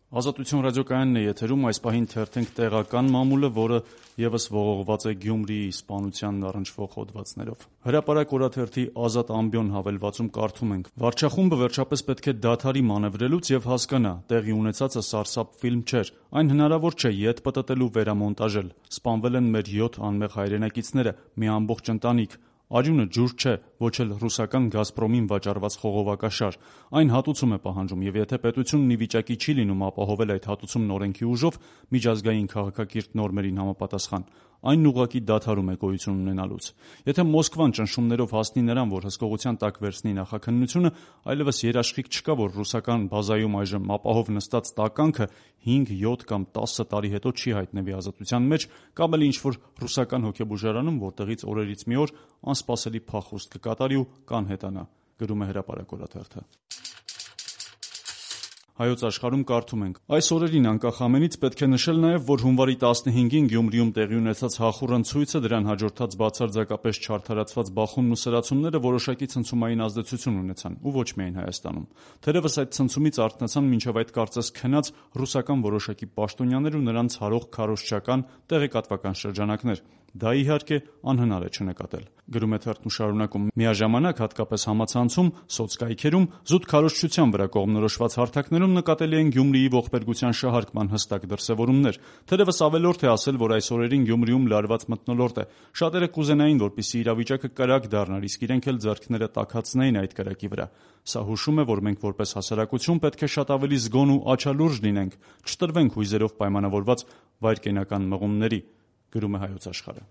Ազատություն ռադիոկայանն է եթերում, այս պահին թերթենք տեղական մամուլը, որը ևս ողողված է Գյումրիի սպանությանն առնչվող հոդվածներով։ Հրապարակ օրաթերթի Ազատ ամբիոն հավելվածում կարդում ենք. «Վարչախումբը վերջապես պետք է դադարի մանևրելուց եւ հասկանա, տեղի ունեցածը սարսափ ֆիլմ չէր, այն հնարավոր չէ ետ պտտել ու վերամոնտաժել։ Սպանվել են մեր 7 անմեղ հայրենակիցները, մի ամբողջ ընտանիք։ Արյունը ջուր չէ, ոչ էլ ռուսական «Գազպրոմին» վաճառված խողովակաշար։ Այն հատուցում է պահանջում, եւ եթե պետությունն ի վիճակի չի լինում ապահովել այդ հատուցումն օրենքի ուժով, միջազգային քաղաքակիրթ նորմերին համապատասխան, այն ուղղակի դադարում է գոյություն ունենալուց։ Եթե Մոսկվան ճնշումներով հասնի նրան, որ հսկողության տակ վերցնի նախաքննությունը, այլևս երաշխիք չկա, որ ռուսական բազայում այժմ ապահով նստած տականքը 5, 7 կամ 10 տարի հետո չի հայտնվի ազատության մեջ, կամ էլ ինչ-որ ռուսական հոգեբուժարանում, որտեղից օրերից մի օր անսպասելի փախուստ կկատարի ու կանհետանա», գրում է Հրապարակ օրաթերթը։ Հայոց աշխարհում կարդում ենք. «Այս օրերին անկախ ամենից պետք է նշել նաև, որ հունվարի 15-ին Գյումրիում տեղի ունեցած հախուռն ցույցը, դրան հաջորդած բացարձակապես չարդարացված բախումն ու սրացումները որոշակի ցնցումային ազդեցություն ունեցան, ու ոչ միայն Հայաստանում։ Թերևս այդ ցնցումից արթնացան մինչև այդ կարծես քնած ռուսական որոշակի պաշտոնյաներ ու նրանց հարող քարոզչական տեղեկատվական շրջանակներ։ Դա իհարկե անհնար է չնկատել», գրում է թերթն ու շարունակում. «Միաժամանակ, հատկապես համացանցում, սոցկայքերում, զուտ քարոզչության վրա կողմնորոշված հարթակներում նկատելի են Գյումրիի ողբերգության շահարկման հստակ դրսևորումներ։ Թերևս ավելորդ է ասել, որ այս օրերին Գյումրիում լարված մթնոլորտ է։ Շատերը կուզենային, որպեսզի իրավիճակը կրակ դառնար, իսկ իրենք էլ ձեռքները տաքացնեին այդ կրակի վրա։ Սա հուշում է, որ մենք որպես հասարակություն պետք է շատ ավելի զգոն ու աչալուրջ լինենք, չտրվենք հույզերով պայմանավորված վայրկենական մղումների», գրում է Հայոց աշխարհը։